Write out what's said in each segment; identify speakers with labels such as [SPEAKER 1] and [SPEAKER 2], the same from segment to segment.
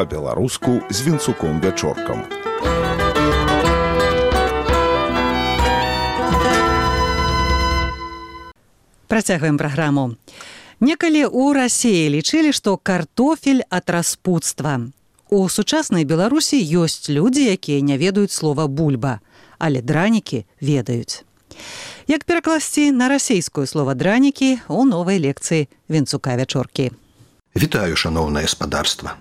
[SPEAKER 1] па-беларуску з Вінцуком Вячоркам.
[SPEAKER 2] Працягваем праграму. Некалі ў Расіі лічылі, што картофель ад распуцтва. У сучаснай Беларусі ёсць людзі, якія не ведаюць слова бульба, але дранікі ведаюць. Як перакласці на расійскую слова дранікі у новай лекцыі Вінцука Вячоркі.
[SPEAKER 3] Вітаю, шаноўнае спадарства.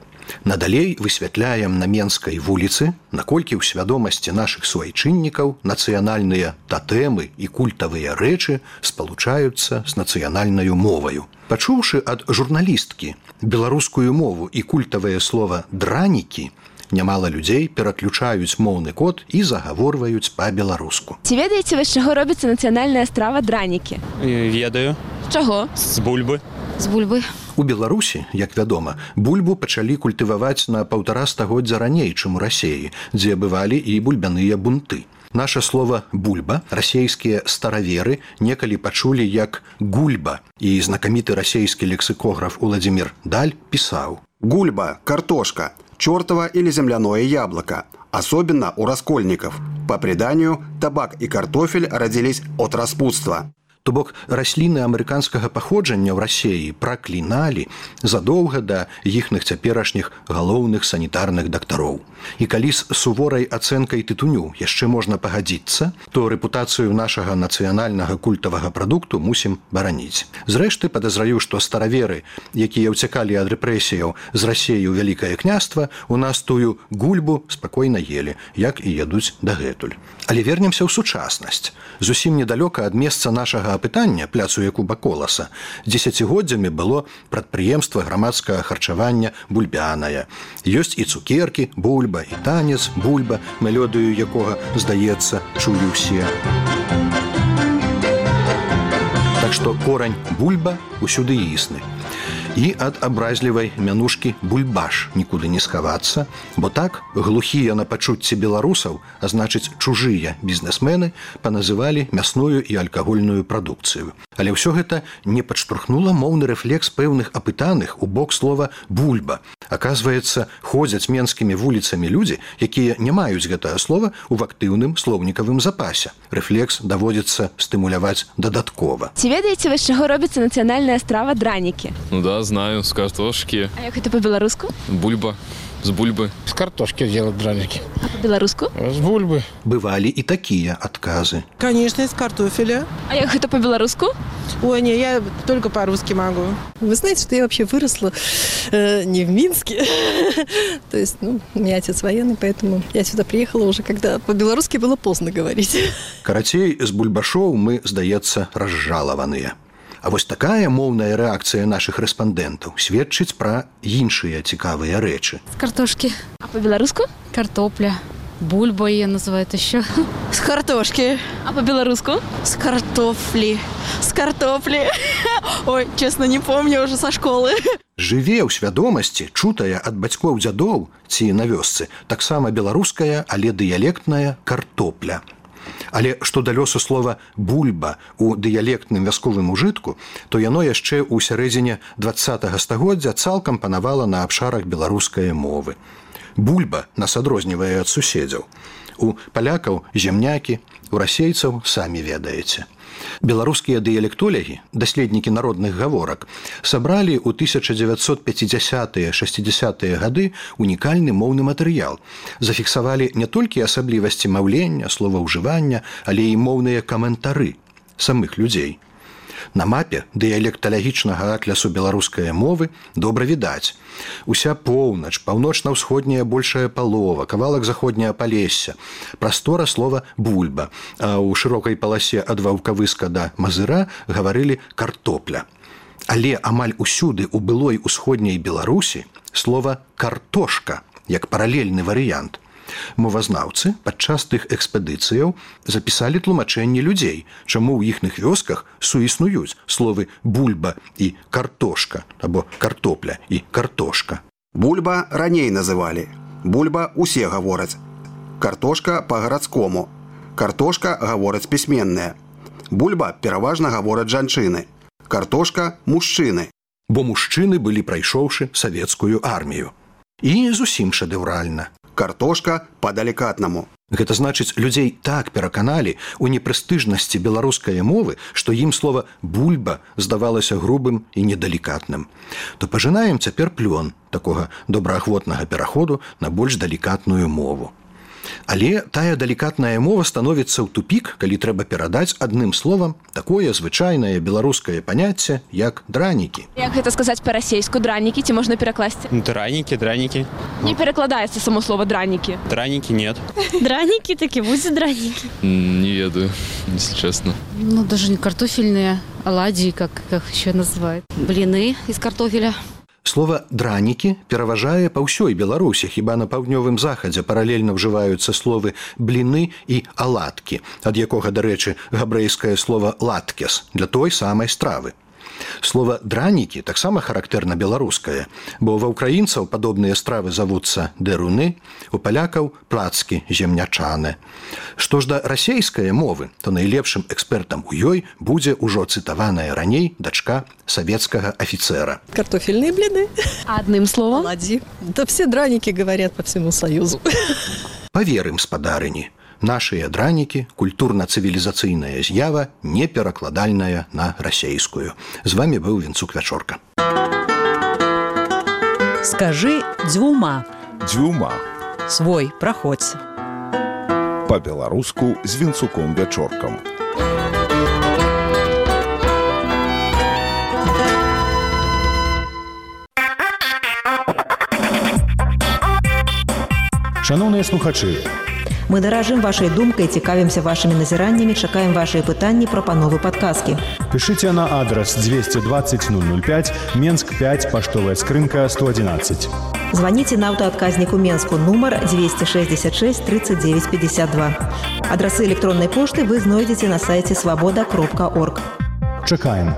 [SPEAKER 3] Надалей высвятляем на Менскай вуліцы, наколькі ў свядомасці нашых суайчыннікаў нацыянальныя татэмы і культавыя рэчы спалучаюцца з нацыянальнаю моваю. Пачуўшы ад журналісткі беларускую мову і культавае слова «дранікі», нямала людзей пераключаюць моўны код і загаворваюць па-беларуску.
[SPEAKER 4] Ці ведаеце вы, з чаго робіцца нацыянальная страва дранікі?
[SPEAKER 5] Ведаю.
[SPEAKER 4] З чаго?
[SPEAKER 5] З бульбы.
[SPEAKER 4] З бульбы.
[SPEAKER 3] У Беларусі, як вядома, бульбу пачалі культываваць на 1,5 стагоддзя раней, чым у Расіі, дзе бывалі і бульбяныя бунты. Наша слова «бульба» расейскія стараверы некалі пачулі як «гульба», і знакаміты расейскі лексікограф Уладзімір Даль пісаў:
[SPEAKER 6] «Гульба, картошка, чёртово или земляное яблоко, особенно у раскольников. По преданию, табак и картофель родились от распутства».
[SPEAKER 3] То бок расліны амерыканскага паходжання ў Расіі пракліналі задоўга да іхных цяперашніх галоўных санітарных дактароў. І калі з суворай ацэнкай тытуню яшчэ можна пагадзіцца, то рэпутацыю нашага нацыянальнага культавага прадукту мусім бараніць. Зрэшты, падазраю, што стараверы, якія ўцякалі ад рэпрэсіяў з Расіі ў Вялікае княства, у нас тую гульбу спакойна елі, як і ядуць дагэтуль. Але вернемся ў сучаснасць. Зусім недалёка ад месца нашага апытання, пляцу Якуба Коласа, дзесяцігоддзямі было прадпрыемства грамадскага харчавання бульбянае. Ёсць і цукеркі, бульба, і танец, бульба, мелодыю якога, здаецца, чую ўсе. Так што корань бульба усюды існы. І ад абразлівай мянушкі бульбаш нікуды не схавацца, бо так глухія на пачуцці беларусаў, а значыць чужыя бізнесмены, паназывалі мясную і алкагольную прадукцыю. Але ўсё гэта не падштурхнула моўны рэфлекс пэўных апытаных у бок слова «бульба». Аказваецца, ходзяць менскімі вуліцамі людзі, якія не маюць гэтае слова ў актыўным слоўнікавым запасе. Рэфлекс даводзіцца стымуляваць дадаткова.
[SPEAKER 4] Ці ведаеце вы, з чаго робіцца нацыянальная страва дранікі?
[SPEAKER 5] Ну да, знаю, з картошкі.
[SPEAKER 4] А як гэта па-беларуску?
[SPEAKER 5] Бульба. З бульбы.
[SPEAKER 7] С картошки делают драники.
[SPEAKER 4] А по-беларуску?
[SPEAKER 7] С бульбы.
[SPEAKER 3] Бывалі і такія адказы.
[SPEAKER 8] Конечно, из картофеля.
[SPEAKER 4] А як гэта по-беларуску?
[SPEAKER 8] Ой, не, я только по-русски могу.
[SPEAKER 9] Вы знаете, что я вообще выросла не в Минске. То есть, у меня отец военный, поэтому я сюда приехала уже, когда по-белорусски было поздно говорить.
[SPEAKER 3] Карацей, з бульбашоў мы, здаецца, разжалаваныя. А вось такая моўная рэакцыя нашых рэспандэнтаў сведчыць пра іншыя цікавыя рэчы.
[SPEAKER 10] С картошки.
[SPEAKER 4] А по-беларуску?
[SPEAKER 10] Картопля. Бульба ее называют еще.
[SPEAKER 9] С картошки.
[SPEAKER 4] А по-беларуску?
[SPEAKER 9] С картофли. С картофли. Ой, честно, не помню уже со школы.
[SPEAKER 3] Жыве ў свядомасці, чутая ад бацькоў дзядоў ці на вёсцы, таксама беларуская, але дыялектная картопля. Але што да лёсу слова «бульба» у дыялектным вясковым ужытку, то яно яшчэ ў сярэдзіне 20-го стагоддзя цалкам панавала на абшарах беларускай мовы. Бульба нас адрознівае ад суседзяў. У палякаў земнякі, у расейцаў самі ведаеце. Беларускія дыялектолягі, даследнікі народных гаворак, сабралі ў 1950-60-е гады унікальны моўны матэрыял. Зафіксавалі не толькі асаблівасці маўлення, словаўжывання, але і моўныя каментары самых людзей. На мапе дыялекталагічнага атлясу беларускай мовы добра відаць. Уся поўнач, паўночна-ўсходняя большая палова, кавалак заходняе палесся, прастора слова «бульба», а ў шырокай паласе ад Ваўкавыска да Мазыра гаварылі «картопля». Але амаль усюды ў былой усходняй Беларусі слова «картошка» як паралельны варыянт. Мовазнаўцы падчас тых экспедыцыяў запісалі тлумачэнні людзей, чаму ў іхных вёсках суіснуюць словы «бульба» і «картошка» або «картопля» і «картошка».
[SPEAKER 6] Бульба раней называли. Бульба усе гавораць. Картошка па-гарадскому. Картошка гавораць пісьменная. Бульба пераважна гавораць жанчыны. Картошка – мужчыны.
[SPEAKER 3] Бо мужчыны былі прайшоўшы савецкую армію. І зусім шэдэўральна.
[SPEAKER 6] Картошка по-далікатнаму.
[SPEAKER 3] Гэта значыць, людзей так пераканалі ў непрэстыжнасці беларускай мовы, што ім слова «бульба» здавалася грубым і недалікатным. То пажынаем цяпер плён такога добраахвотнага пераходу на больш далікатную мову. Але тая далікатная мова становіцца ў тупік, калі трэба перадаць адным словам такое звычайнае беларускае паняцце, як дранікі.
[SPEAKER 4] Як гэта сказаць па-расейску? Дранікі ці можна перакласці?
[SPEAKER 5] Дранікі.
[SPEAKER 4] Не перакладаецца само слово дранікі.
[SPEAKER 5] Дранікі нет.
[SPEAKER 10] Драники таки, будут драники.
[SPEAKER 5] Не ведаю, если честно.
[SPEAKER 10] Ну, даже не картофельные, оладьи, как еще называют. Блины из картофеля.
[SPEAKER 3] Слова «дранікі» пераважае па ўсёй Беларусі, хіба на паўднёвым захадзе паралельна ўжываюцца словы «бліны» і «аладкі», ад якога, дарэчы, габрэйскае слова «латкес» для той самай стравы. Слова «дранікі» таксама характэрна беларускае, бо ва ўкраінцаў падобныя стравы завуцца дэруны, у палякаў плацкі земнячаны. Што ж да расейскай мовы, то найлепшым экспертам у ёй будзе ўжо цытаваная раней дачка савецкага афіцера.
[SPEAKER 9] Картофельные блины.
[SPEAKER 4] Адным словом?
[SPEAKER 9] Оладьи. Да все драники говорят по всему Союзу.
[SPEAKER 3] Паверым, спадарыні, нашыя дранікі – культурна-цывілізацыйная з'ява, не перакладальная на расейскую. З вами быў Вінцук Вячорка.
[SPEAKER 2] Скажи дзвюма.
[SPEAKER 1] Дзвюма.
[SPEAKER 2] Свой, праходзь.
[SPEAKER 1] Па-беларуску з Вінцуком Вячоркам.
[SPEAKER 11] Шановныя слухачы,
[SPEAKER 12] мы даражым вашай думкай, цікавімся вашымі назіраннямі, чакаем вашыя пытанні, прапановы, падказкі.
[SPEAKER 11] Пішыце на адрас 220 005, Менск 5, паштовая скрынка 111.
[SPEAKER 12] Званіце на аўтаадказніку Менску нумар 266 39 52. Адрасы электроннай пошты вы знойдзеце на сайце свабода.орг.
[SPEAKER 11] Чакаем.